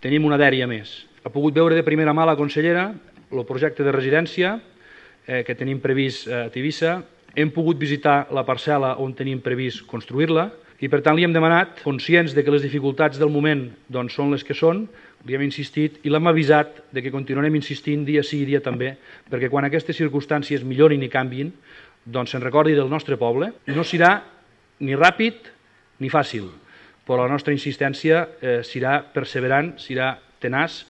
tenim una dèria més. Ha pogut veure de primera mà la consellera el projecte de residència que tenim previst a Tivissa. Hem pogut visitar la parcel·la on tenim previst construir-la i, per tant, li hem demanat, conscients de que les dificultats del moment són les que són, li hem insistit i l'hem avisat de que continuarem insistint dia sí i dia també, perquè quan aquestes circumstàncies millorin i canviïn, se'n recordi del nostre poble. No serà ni ràpid ni fàcil, però la nostra insistència serà perseverant, serà tenaç